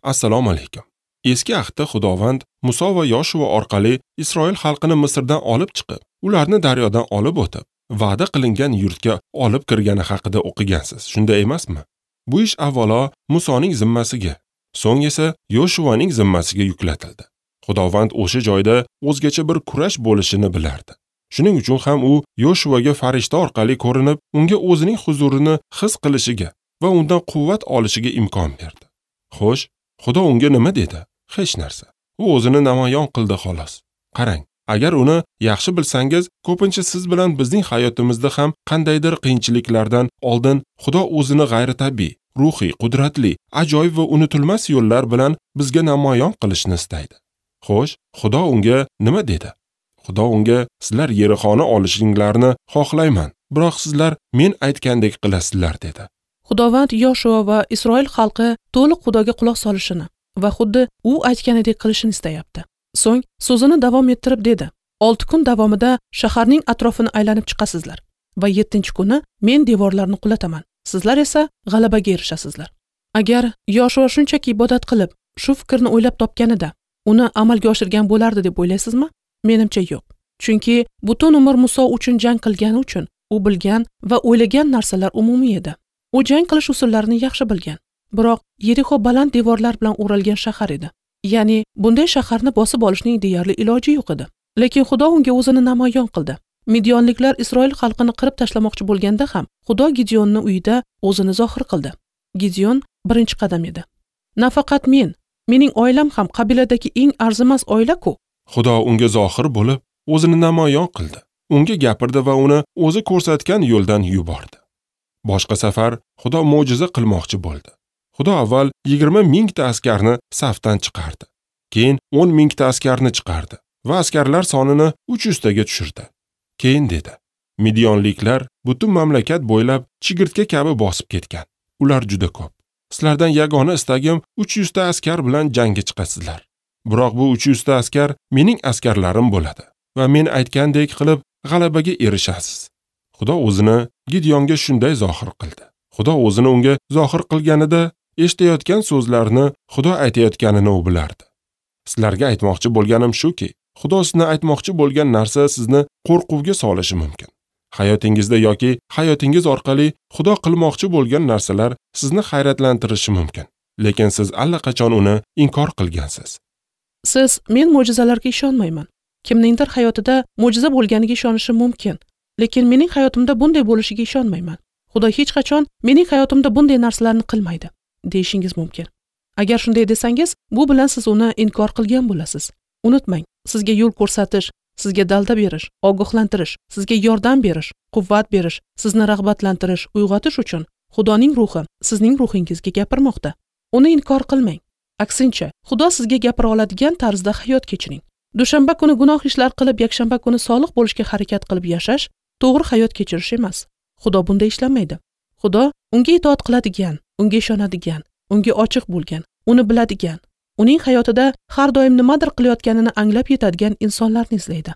Assalomu alaykum. Eski ahdda Xudovand Muso va Yoshua orqali Isroil xalqini Misrdan olib chiqib, ularni daryodan olib o'tib, va'da qilingan yurtga olib kirgani haqida o'qigansiz, shunday emasmi? Bu ish avvalo Musoning zimmasiga, so'ng esa Yoshuaning zimmasiga yuklatildi. Xudovand o'sha joyda o'zgacha bir kurash bo'lishini bilardi. Shuning uchun ham u Yoshuaga farishta orqali ko'rinib, unga o'zining huzurini his qilishiga va undan quvvat olishiga imkon berdi. Xo'sh, Xudo unga nima dedi? Hech narsa. U o'zini namoyon qildi xolos. Qarang, agar uni yaxshi bilsangiz, ko'pincha siz bilan bizning hayotimizda ham qandaydir qiyinchiliklardan oldin Xudo o'zini g'ayritabiiy, ruhiy, qudratli, ajoyib va unutilmas yo'llar bilan bizga namoyon qilishni istaydi. Xo'sh, Xudo unga nima dedi? Xudo unga sizlar Yerixoni olishinglarni xohlayman, biroq sizlar men aytgandek qilasizlar dedi. Xudovand Yoshua va Isroil xalqi to'liq Xudoga quloq solishini va xuddi u aytganidek qilishini istayapti. So'ng so'zini davom ettirib dedi: 6 kun davomida shaharning atrofini aylanib chiqasizlar va 7-kuni men devorlarni qulataman. Sizlar esa g'alabaga erishasizlar. Agar Yoshua shunchaki ibodat qilib, shu fikrni o'ylab topganida, uni amalga oshirgan bo'lardi deb o'ylaysizmi? Menimcha yo'q. Chunki butun umr Muso uchun jang qilgani uchun u bilgan va o'ylagan narsalar umumiy edi. U jang qilish usullarini yaxshi bilgan. Biroq Yerixo baland devorlar bilan o'ralgan shahar edi. Ya'ni bunday shaharni bosib olishning deyarli iloji yo'q edi. Lekin Xudo unga o'zini namoyon qildi. Midyonliklar Isroil xalqini qirib tashlamoqchi bo'lganda ham Xudo Gideonni uyida o'zini zohir qildi. Gideon birinchi qadam edi. Nafaqat men, mening oilam ham qabiladagi eng arzimas oila-ku. Xudo unga zohir bo'lib, o'zini namoyon qildi. Unga gapirdi va uni o'zi ko'rsatgan yo'ldan yubordi. Boshqa safar Xudo mo'jiza qilmoqchi bo'ldi. Xudo avval 20 mingta askarni safdan chiqardi. Keyin 10 mingta askarni chiqardi va askarlar sonini 300 taga tushirdi. Keyin dedi: Midyonliklar butun mamlakat bo'ylab chigirtka kabi bosib ketgan. Ular juda ko'p. Sizlardan yagona istagim 300 ta askar bilan jangga chiqasizlar. Biroq bu 300 ta askar mening askarlarim bo'ladi va men aytgandek qilib g'alabaga erishasiz. Xudo o'zini Gideonga shunday zohir qildi. Xudo o'zini unga zohir qilganida eshitayotgan so'zlarni Xudo aytayotganini u bilardi. Sizlarga aytmoqchi bo'lganim shuki, Xudo sizni aytmoqchi bo'lgan narsa sizni qo'rquvga solishi mumkin. Hayotingizda yoki hayotingiz orqali Xudo qilmoqchi bo'lgan narsalar sizni hayratlantirishi mumkin. Lekin siz allaqachon uni inkor qilgansiz. Siz men mo'jizalarga ishonmayman. Kimningdir hayotida mo'jiza bo'lganiga ishonishim mumkin, lekin mening hayotimda bunday bo'lishiga ishonmayman. Xudo hech qachon mening hayotimda bunday narsalarni qilmaydi, deyishingiz mumkin. Agar shunday desangiz, bu bilan siz uni inkor qilgan bo'lasiz. Unutmang, sizga yo'l ko'rsatish, sizga dalda berish, ogohlantirish, sizga yordam berish, quvvat berish, sizni rag'batlantirish, uyg'otish uchun Xudoning ruhi sizning ruhingizga gapirmoqda. Uni inkor qilmang. Aksincha, Xudo sizga gapira oladigan tarzda hayot kechiring. Dushanba kuni gunoh ishlar qilib, yakshanba kuni solih bo'lishga harakat qilib yashash to'g'ri hayot kechirish emas. Xudo bunday ishlamaydi. Xudo unga itoat qiladigan, unga ishonadigan, unga ochiq bo'lgan, uni biladigan, uning hayotida har doim nimadir qilayotganini anglab yetadigan insonlarni izlaydi.